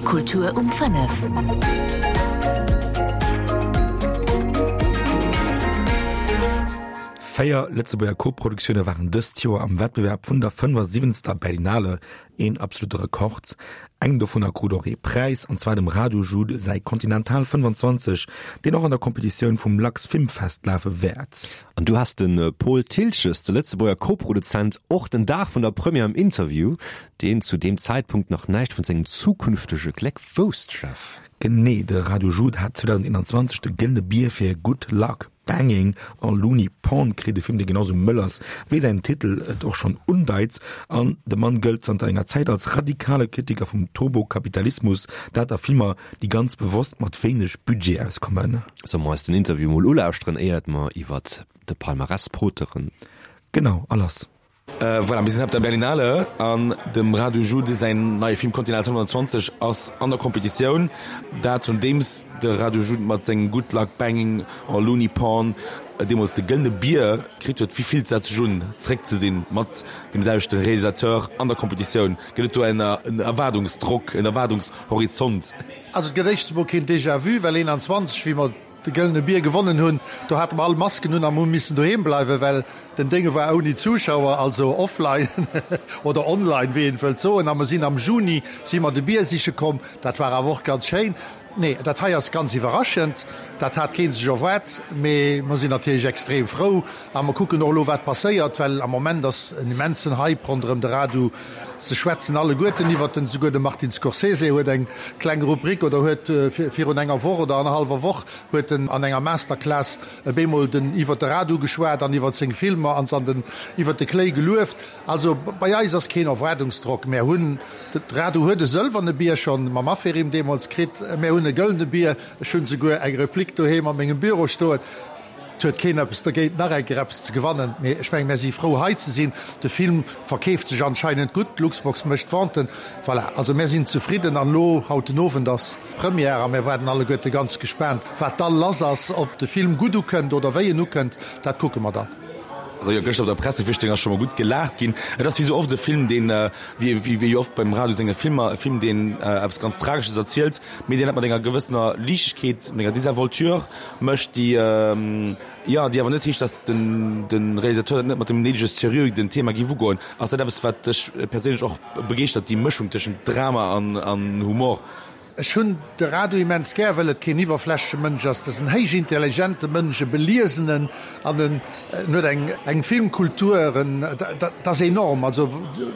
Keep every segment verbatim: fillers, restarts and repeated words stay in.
Kultur um fënnef. Véier Lëtzebuerger Koproduktioune waren dëst Joer am Wettbewerb vun der fënnefasiwwenzter Berlinale, een absolute Rekord. Eng dovunner krut och ee Präis, an zwar dem Radu Jude säi Continental fënnefanzwanzeg, deen och an der Kompetitioun vum LuxFilmFest lafe wäert. An du has de Paul Thiltges, de Lëtzebuerger Koproduzent, och den Dag vun der Première am Interview, deen zu deem Zäitpunkt nach näischt vun sengem zukünftege Gléck wousst, Jeff. Genee, de Radu Jude hat zweedausendeenanzwanzeg de Gëllene Bier fir Good Luck Banging on Looney Pond kritt, e Film, dee genau sou mëll ass, wéi säin Titel et och schonn undeit. An de Mann gëllt zanter enger Zäit als radikale Kritiker vum Turbokapitalismus, dat a Filmer, déi ganz bewosst mat wéineg Budget auskommen. Solle mer eis den Interview mol ulauschteren, éiert mer iwwert de Palmarès poteren? Genau, a lass! Voilà, mir sinn op der Berlinale an dem Radu Jude säin neie Film Continental fënnefanzwanzeg ass an der Kompetitioun. Dat nodeems de Radu Jude mat sengem Good Luck Banging or Looney Porn deemools de Gëllene Bier kritt huet. Wéi fillt dat sech un, zréck ze sinn mat deem selwechte Realisateur an der Kompetitioun? Gëtt et do en Erwaardungsdrock, en Erwaardungshorizont? Also et gëtt éischtens emol keen Déjà-vu, well eenanzwanzeg, wéi mer de Gëllene Bier gewonnen hunn, do hate mer all Masken un an hu missen doheem bleiwen, well den Dénge war ouni Zuschauer, also offline oder online, wéi een wëllt soen. A mer sinn am Juni si mer de Bier siche komm. Dat war awer och ganz schéin. Nee, dat hei ass ganz iwwerraschend. Dat hat kee sech erwaart. Mee mer sinn natierlech extrem frou a mer kucken och elo, wat passéiert, well am Moment ass en immensen Hype ronderëm de Radu. Se schwätzen alleguerten iwwert en, souguer de Martin Scorsese huet eng kleng Rubrik oder huet virun enger Woch oder annerhallwer Woch huet en an enger Masterclass e bemol den iwwert de Radu geschwat an iwwert seng Filmer an se an den iwwert de Kléi gelueft. Also bei eis ass keen Erwaardungsdrock. Mär hunn, de Radu huet e sëlwerne Bier schonn mam Aferim deemools kritt, mär hunn e gëllene Bier, ech hunn souguer eng Replik doheem a mengem Büro stoen. Et huet keen eppes dergéint, nach eng Kéier eppes ze gewannen, mee ech mengen, mär si frou, hei ze sinn. De Film verkeeft sech anscheinend gutt, d'Luxbox mécht Venten. Voilà, also mär sinn zefridden. An elo, haut den Owend ass Première a mär waarden alleguerte ganz gespaant, wat da lass ass, ob de Film gutt ukënnt oder wéi en ukënnt, dat kucke mer dann. Also jo, gëschter op der Pressevisichtung ass scho mol gutt gelaacht ginn. Et ass wéi sou oft e Film, deen, wéi wéi oft beim Radu senge Filmer, e Film, deen eppes ganz Tragesches erzielt, mee deen dat mat enger gewëssener Liichtegkeet, mat enger Désinvolture mécht, déi, jo, déi awer net heescht, datt den de Realisateur dat net mat dem néidege Seriö den Thema géif ugoen. Ass dat eppes, wat dech perséinlech och begeeschtert, déi Mëschung tëschent Drama an an Humor? Ech hunn de Radu immens gär, well et keen iwwerflächleche Mënsch ass. Dat ass en héich intelligente Mënsch, e beliesenen an en huet eng eng Filmkultur, en dat ass enorm. Also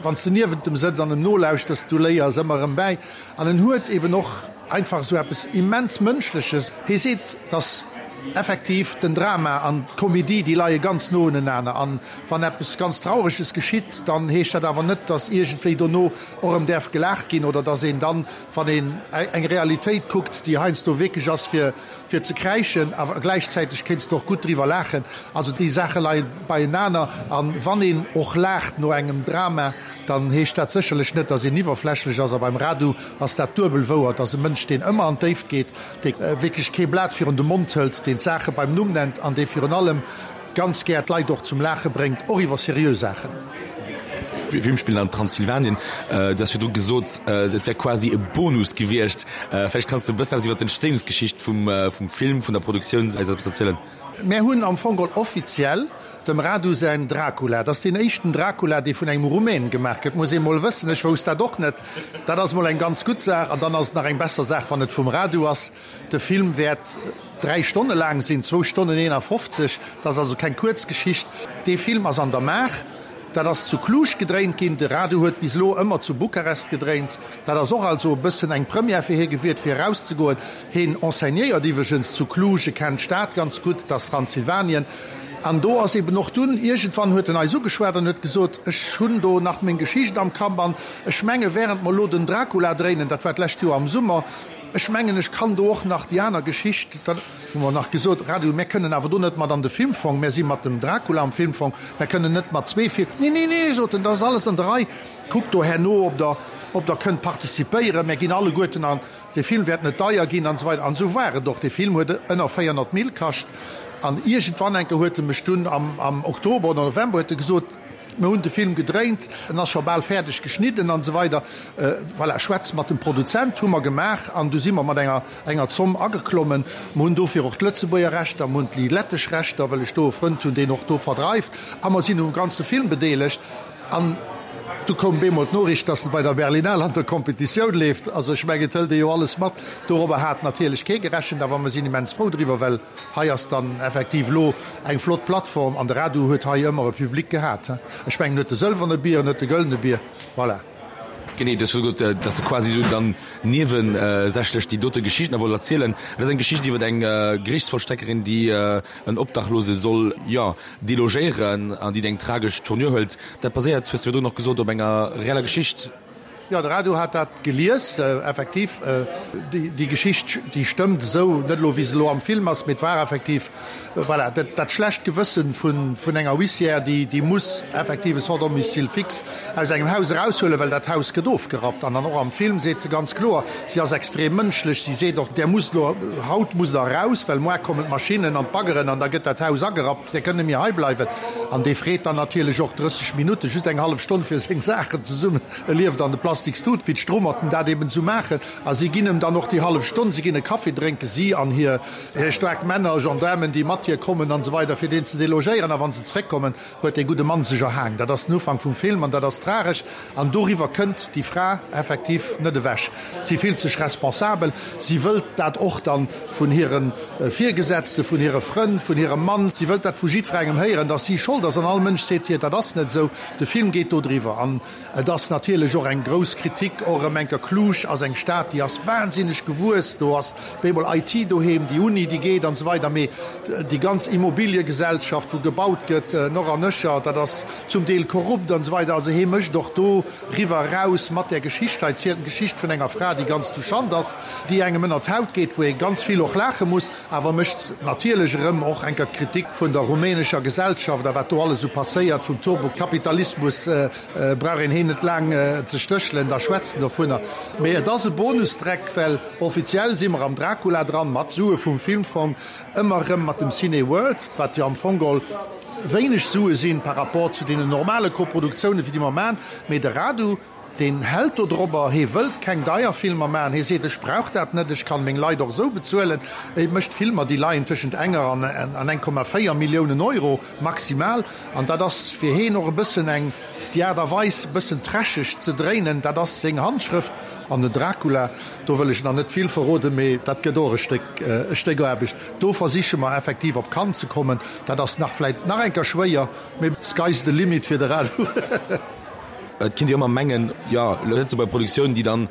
wann s de niewent em sëtz an em nolauschters, du léiers ëmmer erëm bäi. An en huet eben och einfach esou eppes immens Mënschleches. Hie seet, dass effektiv den Drama an d'Komedie, déi leie ganz no unenaner. An wann eppes ganz Traureges geschitt, dann heescht dat awer net, dass iergendwéi dono och erëm däerf gelaacht ginn oder dass een dann, wann een eng Realitéit kuckt, déi heiansdo wierklech ass fir fir ze kräischen, awer gläichzäiteg kéints de och gutt driwwer laachen. Also déi Saache leie beienaner. A wann een och laacht no engem Drama, dann heescht dat sécherlech net, datt een iwwerflächlech ass. A beim Radu ass dat duebel wouer. Et ass e Mënsch, deen ëmmer an d'Déift geet, dee wierklech kee Blat virun de Mond hëlt, deen d'Saache beim Numm nennt an dee virun allem ganz gär d'Leit och zum Laache bréngt, och iwwer seriö Saachen. Film spillen an Transsilvanien. Du has virdru gesot, et wär quasi e Bonus gewiescht. Vläicht kanns de e bëssen eppes iwwer d'Entstehungsgeschicht vum vum Film, vun der Produktioun eis eppes erzielen. Mär hunn am Fong geholl offiziell dem Radu säin Dracula. Dat ass deen éischten Dracula, dee vun engem Rumän gemaach gëtt, muss ee mol wëssen. Ech wousst dat och net. Dat ass mol eng ganz gutt Saach. An dann ass et nach eng besser Saach, wann et vum Radu ass. De Film wäert dräi Stonne laang sinn, zwou Stonnen eenafofzeg. Dat ass also keng kuerz Geschicht. Dee Film ass an der Maach. Dat ass zu Cluj gedréint ginn. De Radu huet bis elo ëmmer zu Bukarest gedréint. Dat ass och also e bëssen eng Première fir hie gewiert, fir erauszegoen. Hien enseignéiert iwwregens zu Cluj, e kennt d'Stad ganz gutt, dat ass Transsilvanien. An do ass eben och dunn, iergendwann huet en eis ugeschwat an huet gesot, Ech hunn do nach meng Geschicht am Kapp an ech menge während mer elo den Dracula dréinen, dat war d'lescht Joer am Summer, ech mengen ech kann do och nach déi aner Geschicht, da hu mer nach gesot, Radu, mär kënnen awer do net mat an de Filmfong, mär si mat dem Dracula am Filmfong, mär kënnen net mat zwee Fil. Nee, nee, nee, sot en, dat ass alles an der Rei, kuckt do herno, ob der, ob der kënnt participéieren, mär ginn alleguerten an, dee Film wäert net deier ginn an esou weider. An esou war et och, dee Film huet ënner véierhonnert Mille kascht. An iergendwann enke huet e mech dunn am, am Oktober oder November huet e gesot, Mir hunn de Film gedréint, en ass scho bal fäerdeg geschnidden an esou weider. Voilà, schwätz mat dem Produzent, hu mer gemaach an du si mer mat enger enger Zomm ageklommen. Mer hunn dofir och d'Lëtzebuerger Rechter, mer hunn déi lettesch Rechter, well ech do e Frënd hunn, deen och do verdreift, a mer sinn um ganze Film bedeelegt. An du koum bemol d'Noriicht, dass en bei der Berlinale an der Competitioun leeft. Also ech mengen, et hëlt ee jo alles mat. Dorobber hat natierlech kee gerechent, awer mer sinn immens frou driwwer, well hei ass dann effektiv elo eng flott Plattform an de Radu huet hei ëmmer e Public gehat. Ech mengen, en huet de sëlwerne Bier, en huet de gëllene Bier, voilà. Genee, du hues gesot, dass de quasi esou dann niewesächlech déi dote Geschicht nach wollt erzielen. Et ass eng Geschicht iwwer eng Gerichtsvollstreckerin, déi en Obdachlose soll, jo, delogéieren an déi eng tragesch Tournure hëlt. Dat baséiert, hues de virdrun och gesot, op enger reeller Geschicht. Jo, de Radu hat dat gelies, effektiv. Déi Geschicht, déi stëmmt esou, net elo wéi se elo am Film ass, mee et war effektiv, voilà, dat schlecht Gewëssen vun enger Huissière, déi muss effektiv e sans domicile fixe aus engem Haus eraushuelen, well dat Haus gëtt ofgerappt. An dann och am Film seet se ganz kloer, si ass extrem mënschlech, si seet och, Där musst elo, haut musst Der eraus, well moar kommen d'Maschinnen an d'Baggeren an da gëtt dat Haus agerappt, Där kënnt net méi hei bleiwen. An dee freet dann natierlech och drësseg Minutten, just eng hallef Stonn, fir seng Saachen zesummen. E lieft an de Plastikstut, wéi d'Strummerten dat eben esou maachen. A si ginn em dann och déi hallef Stonn, si ginn e Kaffi drénken, si an hir staark Männer, Gendaarmen, déi mat hir kommen an esou weider, fir deen ze delogéieren. A wa se zréckkommen, huet dee gudde Mann sech erhaang. Dat ass den Ufank vum Film an dat ass tragesch. An doriwwer kënnt déi Fra effektiv net ewech. Si fillt sech responsabel, si wëllt dat och dann vun hire Virgesetzte, vun hire Frënn, vun hirem Mann, si wëllt dat vu jiddwerengem héieren, dass si Schold ass. An all Mënsch seet hir, dat ass net esou. De Film geet do driwwer. An Et ass natierlech och eng grouss Kritik, och erëm enker, Cluj ass eng Stad, déi ass wahnsinneg gewuess, do ass bemol I T doheem, déi Uni, déi geet an esou weider, mee déi ganz Immobiliegesellschaft, wou gebaut gëtt, noch an nöcher, dat ass zum Deel korrupt an esou weider. Also hee mécht och do riwwer eraus mat där Geschicht hei, zielt d'Geschicht vun enger Fra, déi ganz touchant ass, déi engem ënner d'Haut geet, wou ee ganz vill och laache muss, awer mécht natierlech erëm och enker d'Kritik vun der rumänescher Gesellschaft a wat do alles esou passéiert, vum Turbokapitalismus. Brauch een heen net laang ze stéchelen, da schwätzt en dovunner. Mee et ass e Bonusdreck, well offiziell si mer am Dracula dran, mat Sue vum Filmfong, ëmmer erëm mat dem Cineworld, wat jo am Fong geholl wéineg Sue sinn par rapport zu deenen normale Koproduktiounen, wéi déi mer maachen. Mee de Radu, deen hält do drobber, hee wëllt keng deier Filmer maachen, hee seet, ech brauch dat net, ech kann meng Leit och esou bezuelen. Hee mécht Filmer, déi leien tëschent enger an eng Komma véier Milliounen Euro maximal. An dat ass fir heen och e bëssen eng, déi Aart a Weis e bëssen trasheg ze dréinen, dat ass seng Handschrëft. An den Dracula, do wëll ech nach net vill verroden, mee dat gëtt och e Stéck, e Stéck Aarbecht. Do versiche mer effektiv op Cannes ze kommen. Dat ass nach vläit nach eng Kéier schwéier, mee sky's the limit fir de Radu. Et kinnt jo ëmmer mengen, jo, Lëtzebuerger Produktioun, déi dann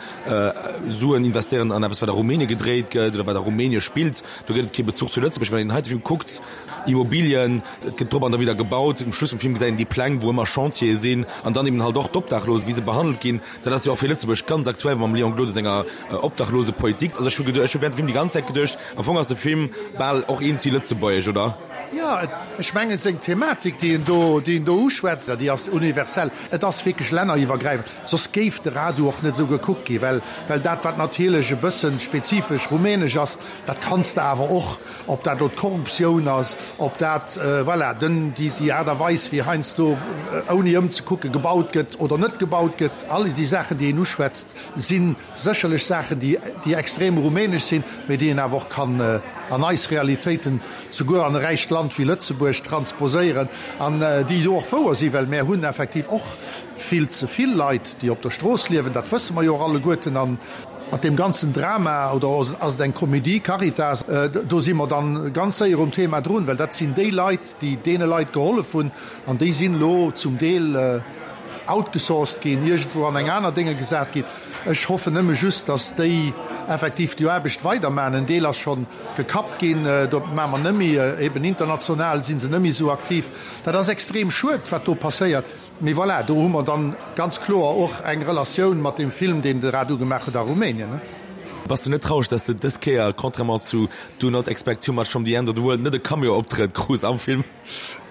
Suen investéieren an eppes, wat a Rumänien gedréit gëtt oder wat a Rumänien spillt, do gëtt et kee Bezuch zu Lëtzebuerg. Wann een den heite Film kuckt, Immobilien, et gëtt drop an derwidder gebaut, um Schluss vum Film gesäit een déi Pläng, wou ëmmer Chantiere sinn an dann eben halt och d'Obdachlos, wéi se behandelt ginn. Dat ass jo och fir Lëtzebuerg ganz aktuell mam Léon Gloden senger Obdachlosepolitik. Also ech hu geduecht, ech hu während dem Film déi ganz Zäit geduecht, am Fong ass de Film bal och eenzi lëtzebuergesch, oder? Jo, ech mengen, seng Thematik, déi en do, déi en do uschwätzt, déi ass universell. Et ass wierklech länneriwwergräifend. Soss géif de Radu och net esou gekuckt ginn, well, well dat, wat natierlech e bësse spezifesch rumänesch ass, dat kanns de awer och, ob dat elo d'Korruptioun ass, ob dat, voilà, den, déi, déi Aart a Weis, wéi heiansdo ouni ëmzekucke gebaut gëtt oder net gebaut gëtt, all déi Saachen, déi en uschwätzt, si sécherlech Saachen, déi, déi extrem rumänesch sinn, mee déi een awer och kann an eis Realitéiten, souguer an e räicht Land wéi Lëtzebuerg, transposéieren an déi jo och wouer sinn, well mär hunn effektiv och vill ze vill Leit, déi op der Strooss liewen, dat wësse mer jo och alleguerten. A mat deem ganzen Drama, oder ass et eng Comédie, Caritas, do si mer dann ganz séier um Thema drun, well dat sinn déi Leit, déi deene Leit gehollef hunn an déi sinn elo zum Deel outgesourced ginn, iergendwou an eng aner Dénge gesat ginn. Ech hoffen nëmme just, dass déi effektiv déi Aarbecht weidermachen. En Deel ass scho gekappt ginn, do maache mer net méi, eben international si se net méi esou aktiv. Dat ass extrem schued, wat do passéiert. Mee voilà, do hu mer dann ganz kloer och eng Relatioun mat deem Film, deen de Radu gemaach huet a Rumänien. Bass de net traureg, dass de dës Kéier, contrairement zu Do Not Expect Too Much From The End of The World, net e Cameo-Optrëtt krus am Film?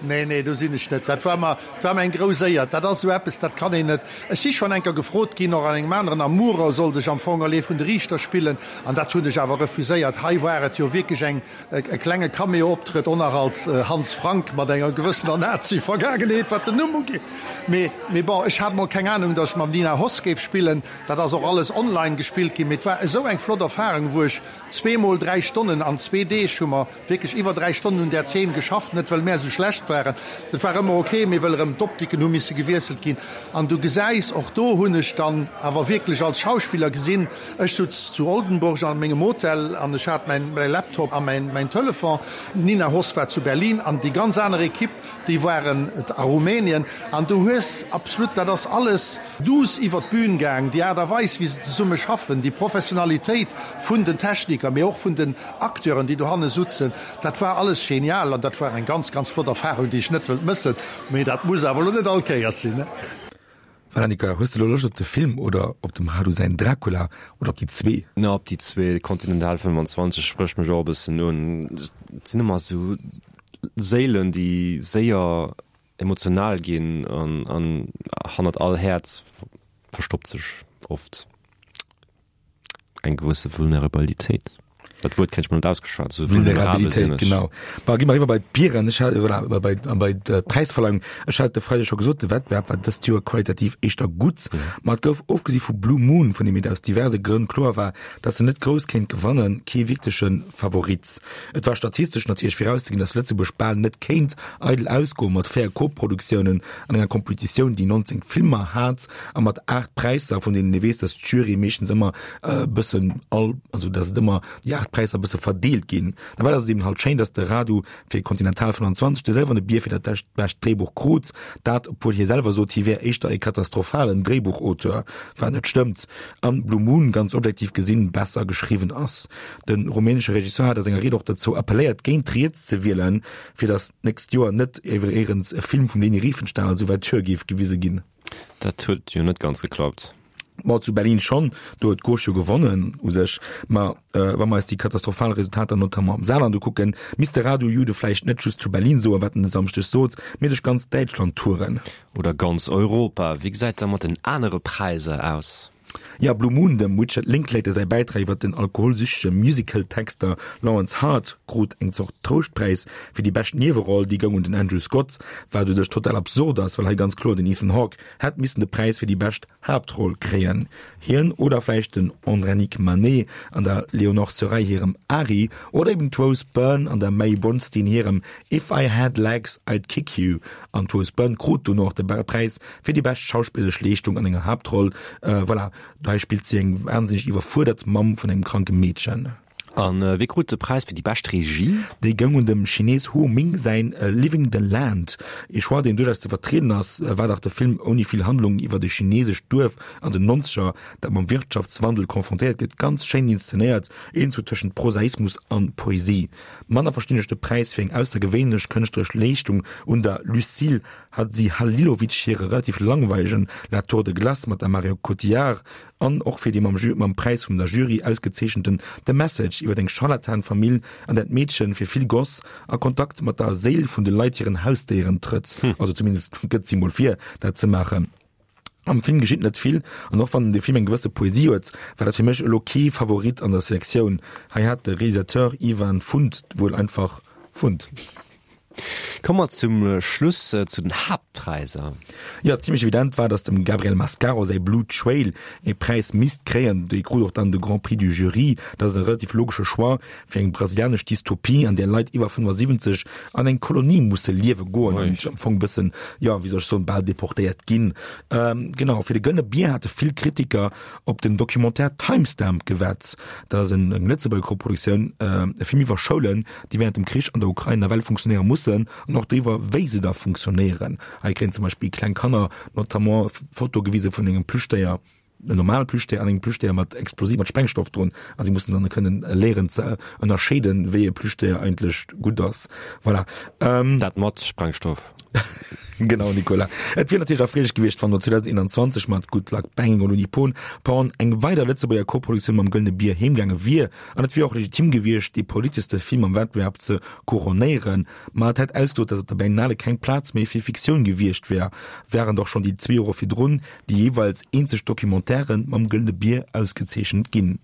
Nee, nee, do sinn ech net. Dat war mer, dat war mer eng grouss Éier. Dat ass esou eppes, dat kann een net. Ech si schonn eng Kéier gefrot ginn, och an engem aneren, am Murer sollt ech am Fong all ee vun de Riichter spillen, an dat hunn ech awer refuséiert. Hei war et jo wierklech eng, e klenge Cameo-Optrëtt, och nach als Hans Frank mat enger gewëssener Nazi-Vergaangenheet, wat den Numm ugeet. Mee, mee bon, ech hat mol keng Anung, datt ech mam Nina Hoss géif spillen. Dat ass och alles online gespillt ginn, mee et war esou eng flott Erfahrung, wou ech zweemol dräi Stonnen, an zwee Deeg hu mer wierklech iwwer dräi Stonnen un där Zeen geschafft, net well mär esou schlecht waren, dat war ëmmer ok, mee well erëm d'Optiken hu misse gewiesselt ginn. An du gesäis, och do hunn ech dann awer wierklech als Schauspiller gesinn, ech sutz zu Oldenburg an mengem Hotel an ech hat mäin Laptop a mäin Telefon, d'Nina Hoss war zu Berlin an déi ganz aner Equipe, déi waren a Rumänien an du hues absolut, dat ass alles douce iwwer d'Bün gaang, déi Aart a Weis wéi se zesumme schaffen, déi Professionalitéit vun den Techniker, mee och vun den Acteuren, déi dohanne sutzen, dat war alles genial an dat war eng ganz, ganz flott Erfahrung, déi ech net wëllt mëssen, mee dat muss awer elo net all Kéiers sinn. Voilà, Nicolas, hues de elo Loscht op de Film oder op dem Radu säin Dracula oder op déi zwee? Na, op déi zwee. Continental fënnwanzwanzeg sprécht mech och e bëssen un. Et sinn ëmmer esou Séilen, déi séier emotional ginn an, an hannert all Häerz verstoppt sech oft eng gewësse Vulnerabilitéit. Dat Wuert kréien ech mol net ausgeschwat, esou vulnerabel sinn Vulnerabilitéit, ech. genau. Bon, gi mer eriwwer bei d'Bieren. Ech hat, voilà, bei, bei d'Präisverleihung. Ech hat de Freideg scho gesot, de Wettbewerb war dëst Joer qualitativ éischter gutt, ma et gouf, ofgesi vu Blue Moon, vun deem et aus diverse Grënn kloer war, datt en net grouss kéint gewannen, kee wierkleche Favorit. Et war statistesch natierlech virauszeginn, datt Lëtzebuerg bal net kéint eidel ausgoen, mat véier Koproduktiounen an enger Kompetitioun, déi nonzéng Filmer hat a mat aacht Präisser, vun deenen ee weess, datt d'Jury meeschtens ëmmer e bëssen all, also datt et ëmmer déi aacht Präisser e bësse verdeelt ginn. Da war et also eben halt schéin, datt de Radu fir Continental fënnwanzwanzeg de sëlwerne Bier fir dat bescht Dréibuch krut, dat obwuel hie selwer sot, hie wär éischter e katastrophalen Dréibuchauteur, wat net stëmmt, an Blue Moon ganz objektiv gesinn besser geschriwwen ass. De rumänesche Regisseur hat a senger Ried och dozou appelléiert, géint riets ze wielen, fir datt d'nächst Joer net iwweréirens e Film vum Leni Riefenstahl als Ouverture géif gewise ginn. Dat huet jo net ganz geklappt. Ma zu Berlin schonn, do huet d'Gauche jo gewonnen u sech. Ma wa mer eis déi katastrophal Resultater notamment am Saarland ukucken, misst de Radu Jude vläicht net just zu Berlin soen, wat en e Samschdeg sot, mee duerch ganz Däitschland touren. Oder ganz Europa. Wéi gesäit da mat den anere Präiser aus? Ja, Blue Moon, dem Richard Linklater säi Bäitrag iwwer den alkoholsüchtege Musical-Texter Lawrence Hart, krut eng Zort Trouschtpräis fir déi bescht Nieweroll. Déi goung un den Andrew Scott, wat u sech total absurd ass, well hei ganz kloer den Ethan Hawke hätt missen de Präis fir déi bescht Haaptroll kréien. Hien oder vläicht den Andranik Manet an der Léonore Serraille hirem Ari oder eben d'Rose Byrne an der May Bronstein hirem If I Had Legs, I'd Kick You. An d'Rose Byrne krut dono och de Präis fir déi bescht schauspilleresch Leeschtung an enger Haaptroll. Voilà, hei spillt si eng wahnsinneg iwwerfuerdert Mamm vun engem kranke Meedchen. A wie krut de Präis fir déi bescht Regie? Dee goung un dem Chines Hu Ming säin Living the Land. Ee Choix, deen duerchaus ze vertrieden ass, war dach de Film ouni vill Handlung iwwert e chinesescht Duerf an den Nonzeger, dat mam Wirtschaftswandel konfrontéiert gëtt. Ganz schéin inszenéiert, iergendzwou tëschent Prosaismus an Poesie. Manner verstinn ech de Präis fir eng aussergewéinlech kënschtleresch Leeschtung un der Lucile Hadzihalilovic hire relativ langweilegen La Tour de Glace mat der Marion Cotillard an och fir dee mam mam Präis vum der Jury ausgezeechenten The Message iwwer eng Scharlatan-Famill an där d'Meedchen fir vill Goss a Kontakt mat der Séil vun de Leit hiren Hausdéieren trëtt, also zumindest gëtt si mol vir dat ze maachen. Am Film geschitt net vill an och wann de Film eng gewësse Poesie huet, war dat fir mech elo kee Favorit an der Selektioun. Hei hat de Realisateur Ivan Fund wuel einfach Fund. Komme mer zum Schluss zu den Haaptpräisser. Jo, zimlech evident war, datt dem Gabriel Mascaro säi Blue Trail ee Präis misst kréien. Dee krut och dann de Grand Prix du Jury. Dat ass e relativ logesche Choix fir eng brasilianesch Dystopie, an där Leit iwwer fënnefasiwwenzeg an eng Kolonie musse liewe goen an am Fong e bëssen, jo, wéi soll ech soen, bal deportéiert ginn. Genau, fir de Gëllene Bier hate vill Kritiker op den Documentaire Timestamp gewett. Dat ass eng Lëtzebuerger Koproduktioun, e Film iwwer Schoulen, déi wärend dem Krich an der Ukrain nawell funktionéiere mussen an och driwwer, wéi se da funktionéieren. Hei kréien zum Beispill kleng Kanner notamment Fotoe gewise vun engem Plüschdéier, en normale Plüschdéier an engem Plüschdéier mat Explosiv, mat Sprengstoff drun a si mussen dann kënnen léieren ze ënnerscheeden, wéi e Plüschdéier eigentlech gutt ass. Voilà. Ähm, Dat mat Sprengstoff. Genau, Nicolas. Et wier natierlech erfreelech gewiescht, wann no zweedausendeenanzwanzeg mat Good Luck Banging on Unipon Porn eng weider Lëtzebuerger Koproduktioun mam Gëllene Bier heemgaange wier. An et wier och legitim gewiescht, dee politeschste Film am Wettbewerb ze couronnéieren. Ma et hätt ausgesot, datt op der Berlinale keng Plaz méi fir Fiktioun gewiescht wär, wärend och schonn déi zwee Jore virdrun déi jeeweils eenzeg Documentairë mam Gëllene Bier ausgezeechent ginn.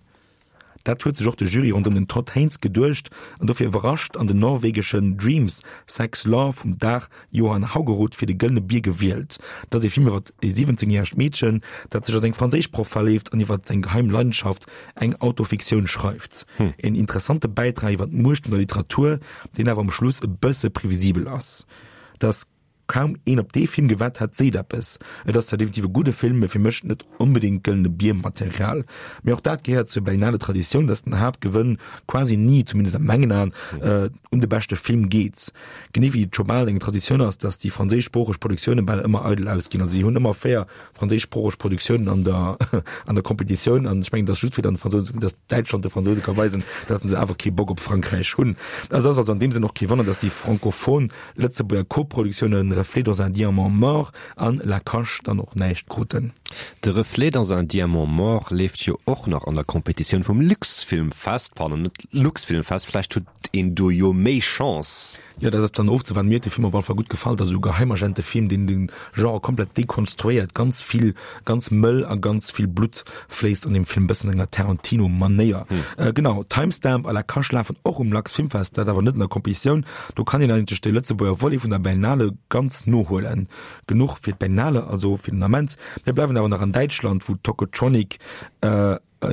Dat huet sech och de Jury ronderëm den Todd Haynes geduecht an dofir iwwerrascht an den norwegeschen Dreams, Sex, Love vum Dag Johan Haugerud fir de Gëllene Bier gewielt. Dat ass ee Film iwwer e siwwenzéngjäregt Meedchen, dat sech a seng Franséischproff verléift an iwwer seng geheim Leidenschaft, eng Autofiktioun, schreift. Een interessante Bäitrag iwwer d'Muecht vun der Literatur, deen awer um Schluss e bësse previsibel ass. Dass kaum een op dee Film gewett hat, seet eppes. Et ass zwar definitiv e gudde Film, mee fir mech net onbedéngt gëllene Bier-Material. Mee och dat gehéiert zur Berlinale Traditioun, dass den Haaptgewënn quasi ni, zumindest a mengen Aen, un de beschte Film geet. Genee wéi et scho bal eng Traditioun ass, dass déi franséischsproocheg Produktioune bal ëmmer eidel ausginn. Also si hunn ëmmer véier franséischsproocheg Produktiounen an der an der Competitioun an ech mengen, dass just fir dann Fransouse, dass Däitschland de Fransouse ka weisen, dass se awer kee Bock op Frankräich hunn. Also ass also an deem Sënn och kee Wonner, dass déi frankophon Lëtzebuerger Koproduktiounen Reflet dans un diamant mort an La Cache dann och näischt kruten. De Reflet dans un diamant mort leeft jo och nach an der Competitioun vum Luxfilmfest, pardon, net Luxfilmfest, vläicht huet een do jo méi Chance. Jo, dat ass dann ofzewaarden. Mir huet de Film op alle Fall gutt gefall. Dat ass esou e Geheimagentefilm, deen de Genre komplett dekonstruéiert. Ganz vill, ganz mëll a ganz vill Blutt fléisst an deem Film, bëssen an enger Tarantino-Manéier. Genau, Timestamp a La Cache lafen och um Luxfilmfest, dat awer net an der Competitioun. Do kann een eigentlech de Lëtzebuerger Volet vun der Berlinale ganz nohuelen. Genuch fir d'Berlinale also fir den Ament. Mir bleiwen awer nach an Däitschland, wou Tocotronic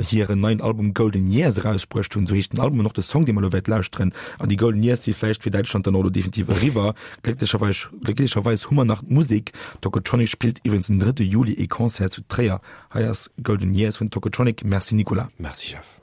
hiren neien Album Golden Years erausbruecht hunn. Esou heescht den Album an och de Song, dee mer elo wäert lauschteren. An déi Golden Years si vläicht fir Däitschland dann och elo definitiv eriwwer. Glécklecherweis, glécklecherweis hu mer nach d'Musek. Tocotronic spillt iwwregens den drëtte Juli ee Concert zu Tréier. Hei ass Golden Years vun Tocotronic. Merci Nicolas. Merci Jeff.